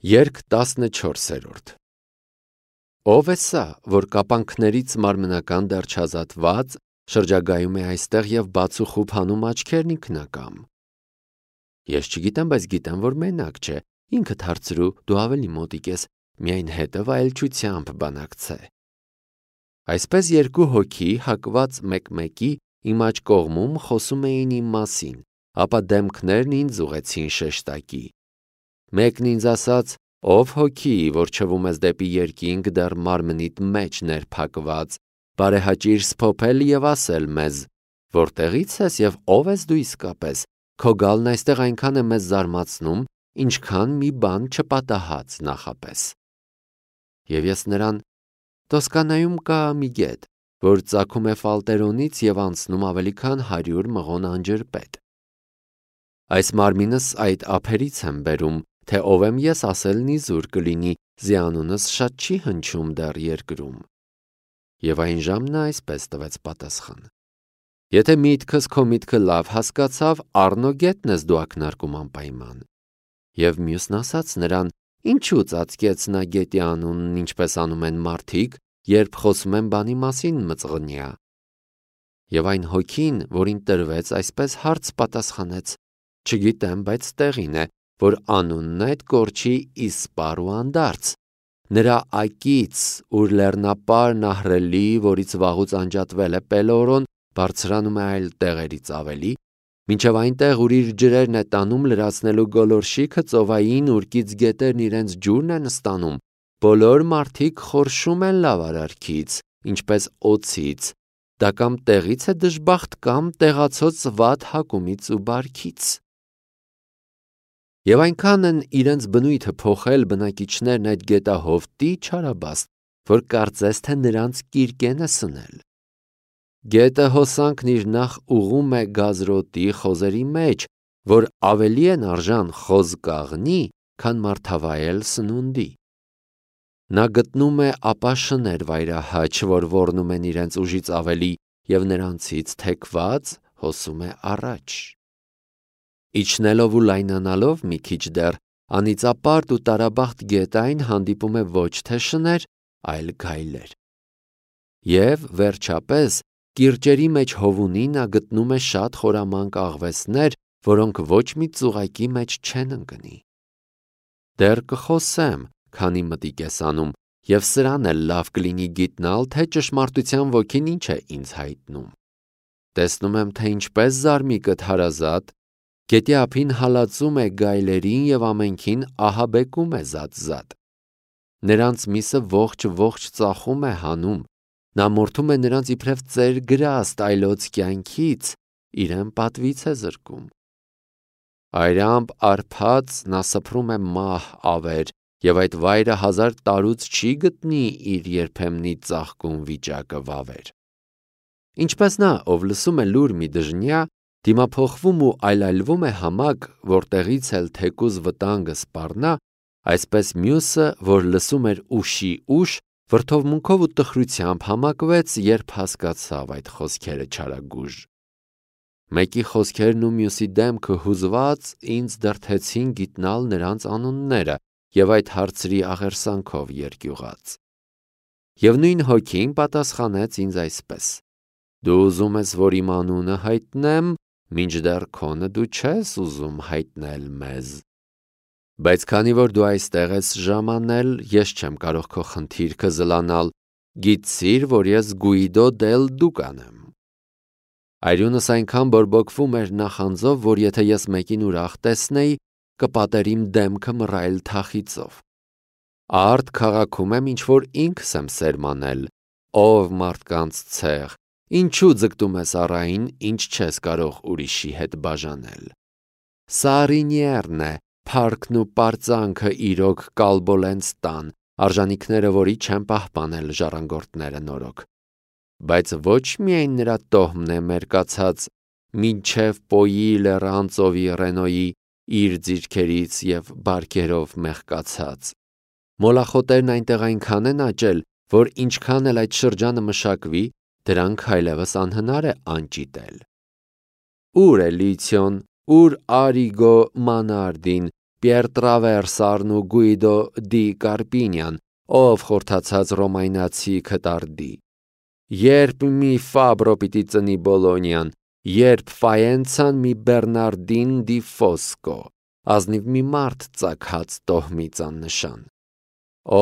Երգ 14-րդ Ով է սա, որ կապանքներից մարմնական դեռ չազատված շրջագայում է այստեղ և բացուխուփ հանում աչքերն ինքնակամ։ Ես չգիտեմ, բայց գիտեմ, որ մենակ չէ, ինքդ հարցրու, դու ավելի մոտիկ ես, միայն հետը վայելչությամբ բանակցե։ Այսպես երկու հոգի հակված մեկ-մեկի իմ աջ կողմում խոսում էին իմ մասին, ապա դեմքներն ինձ ուղղեցին շեշտակի։ Մեկն ինձ ասաց. «Ով հոգի, որ չվում ես դեպի երկինք դեռ մարմնիդ մեջ ներփակված, բարեհաճիր սփոփել և ասել մեզ, որտեղից ես և ով ես դու իսկապես, քո գալն այստեղ այնքան է մեզ զարմացնում, ինչքան մի բան չպատահած նախապես»։ Եվ ես նրան. «Տոսկանայում կա մի գետ, որ ծագում է Ֆալտերոնից և անցնում ավելի քան 100 մղոն անջրպետ։ Այս մարմինս այդ ափերից եմ բերում, թե ով եմ ես ասելն իզուր կլինի, զիանունս շատ չի հնչում դեռ երկրում»։ Եվ այն ժամ նա այսպես տվեց պատասխան. «Եթե միտքս քո միտքը լավ հասկացավ, առնո գետն ես դու ակնարկում անպայման»։ Եվ մյուսն ասաց նրան. «Ինչու ծածկեց նա գետի անունն, ինչպես անում են մարդիկ, երբ խոսում են բանի մասին մծղնյա»։ Եվ այն հոգին, որին տրվեց, այսպես հարց պատասխանեց. «Չգիտեմ, բայց տեղին է, որ անունն այդ կորչի Իսպար ու Անդարձ, նրա ակից, ուր լեռնապարն ահռելի, որից վաղուց անջատվել է Պելորոն, բարձրանում է այլ տեղերից ավելի, մինչև այնտեղ, ուր իր ջրերն է տանում լրացնելու գոլորշիքը ծովային, ուրկից գետերն իրենց ջուրն են ստանում, բոլոր մարդիկ խորշում են լավ արարքից, ինչպես օձից, դա կամ տեղից է դժբախտ, կամ տեղացած վատ հակումից ու բարքից։ Եվ այնքան են իրենց բնույթը փոխել բնակիչներն այդ գետահովտի չարաբաստ, որ կարծես թե նրանց կիրկեն է սնել։ Գետը հոսանքն իր նախ ուղում է գազրոտի խոզերի մեջ, որ ավելի են արժան խոզ կաղնի, քան մարդավայել սնունդի։ Նա գտնում է ապա շներ վայրահաչ, որ ոռնում են իրենց ուժից ավելի, և նրանցից թեքված հոսում է առաջ։ Իջնելով ու լայնանալով մի քիչ դեռ, անիծապարտ ու տարաբախտ գետային հանդիպում է ոչ թե շներ, այլ գայլեր։ Եվ, վերջապես, կիրճերի մեջ հովունի նա գտնում է շատ խորամանկ աղվեսներ, որոնք ոչ մի ծուղակի մեջ չեն ընկնի։ Դեռ կխոսեմ, քանի մտիկ ես անում, և սրան էլ լավ կլինի գիտնալ, թե ճշմարտության ոգին ինչ է ինձ հայտնում։ Տեսնում եմ, թե ինչպես զարմիկդ հարազատ գետի ափին հալածում է գայլերին և ամենքին ահաբեկում է զատ-զատ։ Նրանց միսը ողջ ծախում է հանում, նա մորթում է նրանց իբրև ծեր գրաստ այլոց կյանքից, իրեն պատվից է զրկում։ Այրամբ արբած նա սփռում է մահ ավեր, և այդ վայրը 1000 տարուց չի գտնի իր երբեմնի ծաղկուն վիճակը վավեր։ Ինչպես նա, ով լսում է լուր մի դժնյա, դիմափոխվում ու այլայլվում է համակ, որտեղից էլ թեկուզ վտանգը սպառնա, այսպես մյուսը, որ լսում էր ուշի ուշ, վրդովմունքով ու տխրությամբ համակվեց, երբ հասկացավ այդ խոսքերը չարագույժ։ Մեկի խոսքերն ու մյուսի դեմքը հուզված ինձ դրդեցին գիտնալ նրանց անունները և այդ հարցրի աղերսանքով երկյուղած։ Եվ նույն հոգին պատասխանեց ինձ այսպես. «Դու ուզում ես, որ իմ անունը հայտնեմ, մինչդեռ քոնը դու չես ուզում հայտնել մեզ։ Բայց քանի որ դու այստեղ ես ժամանել, ես չեմ կարող քո խնդիրքը զլանալ, գիտցիր, որ ես Գուիդո դել Դուկան եմ»։ Այրունս այնքան բորբոքվում էր նախանձով, որ եթե ես մեկին ուրախ տեսնեի, կպատեր իմ դեմքը մռայլ թախիծով։ Արդ քաղաքում եմ ինչ-որ ինքս եմ սերմանել, ով մարդկանց ցեղ, ինչու ձգտում ես առային, ինչ չես կարող ուրիշի հետ բաժանել։ Սարինիերն է, փառքն ու պարծանքը իրոք կալբոլենց տան, արժանիքները որի չեն պահպանել ժառանգորդները նորոգ։ Բայց ոչ միայն նրա տոհմն է մերկացած, մինչև Պոյի լեռան ծովի Ռենոյի իր ձիրքերից և բարքերով մեղկացած։ Մոլախոտերն այնտեղ այնքան են աճել, որ ինչքան էլ այդ շրջանը մշակվի, դրանք այլևս անհնար է անճիտել։ Ուր է Լիցիոն, ուր Արիգո Մանարդին, Պիեր Տրավերսարն ու Գուիդո դի Կարպինյան, ով խորթացած ռոմայնացի քտարդի, երբ մի Ֆաբրո պիտի ծնի Բոլոնյան, երբ Ֆայենցան մի Բեռնարդին դի Ֆոսկո, ազնիվ մի մարդ ծագած տոհմից աննշան։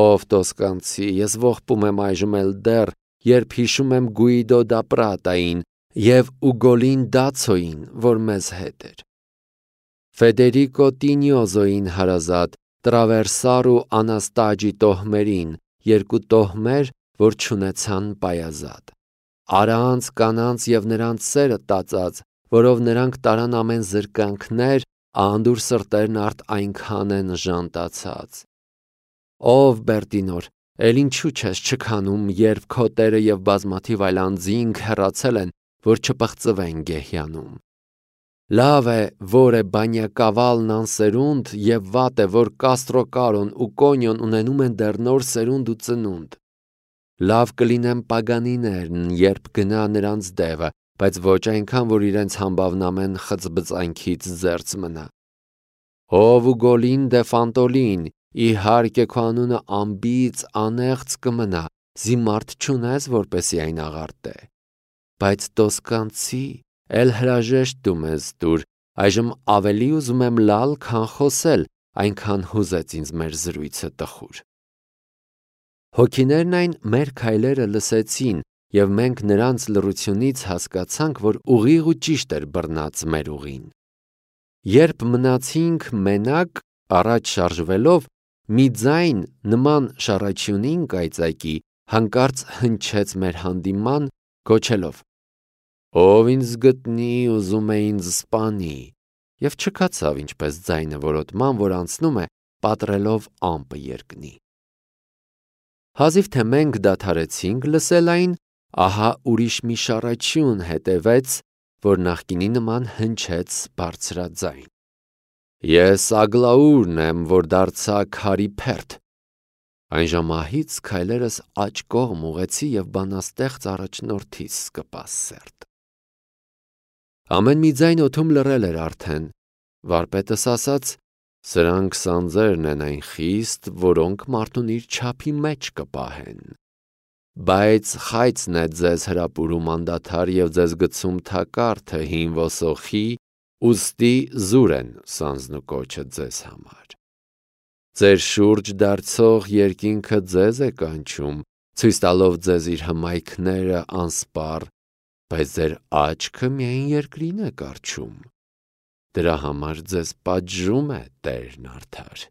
Ով տոսկանցի, ես ողբում եմ այժմ էլ դեռ, երբ հիշում եմ Գուիդո դա Պրատային և Ուգոլին Դացոյին, որ մեզ հետ էր։ Ֆեդերիկո Տինյոզոյին հարազատ, Տրավերսար ու Անաստաջի տոհմերին, երկու տոհմեր, որ չունեցան պայազատ։ Արանց, կանանց և նրանց սերը տածած, որով նրանք տարան ամեն զրկանքներ, անդուր սրտերն արդ այնքան են ժանտացած։ Ով Բերտինոր, էլ ինչու չես չքանում, երբ քո տերը և բազմաթիվ այլ անձինք հեռացել են, որ չպղծվեն գեհյանում։ Լավ է, որ է Բանյակավալն անսերունդ և վատ է, որ Կաստրոկարոն ու Կոնյոն ունենում են դեռ նոր սերունդ ու ծնունդ։ Լավ կլինեն պագանիներն, երբ գնա նրանց դևը, բայց ոչ այնքան, որ իրենց համբավն ամեն խծբծանքից զերծ մնա։ Ով Ուգոլին դե Ֆանտոլին, իհարկե քո անունը անբիծ անեղծ կմնա, զիմարդ չունես, որպեսի այն աղարտե։ Բայց տոսկանցի, էլ հրաժեշտ դու մեզ տուր, այժմ ավելի ուզում եմ լալ, քան խոսել, այնքան հուզեց ինձ մեր զրույցը տխուր։ Հոգիներն այն մեր քայլերը լսեցին, և մենք նրանց լռությունից հասկացանք, որ ուղիղ ու ճիշտ էր բռնած մեր ուղին։ Երբ մնացինք մենակ, առաջ շարժվելով, մի ձայն նման շառաչյունին կայծակի հանկարծ հնչեց մեր հանդիման, գոչելով. «Ով ինձ գտնի, ուզում է ինձ սպանի», և չքացավ ինչպես ձայնը որոտման, որ անցնում է, պատռելով ամպը երկնի։ Հազիվ թե մենք դադարեցինք լսել այն, ահա ուրիշ մի շառաչյուն հետևեց, որ նախկինի նման հնչեց բարձրաձայն. «Ես Ագլաուրն եմ, որ դարձա քարի փերթ»։ Այն ժամահից քայլերս աջ կողմ ուղղեցի և բանաստեղծ առաջնորդիս սկպաս սերտ։ Ամեն մի ձայն օդում լռել էր արդեն, վարպետս ասաց. «Սրանք սանձերն են այն խիստ, որոնք մարդուն իր չափի մեջ կպահեն։ Բայց խայծն է ձեզ հրապուրում անդադար և ձեզ գցում թակարդը հին ոսոխի, ուստի զուր են սանձն ու կոչը ձեզ համար։ Ձեր շուրջ դարձող երկինքը ձեզ է կանչում, ցույց տալով ձեզ իր հմայքները անսպառ, բայց ձեր աչքը միայն երկրին է կառչում։ Դրա համար ձեզ պատժում է Տերն արդար»։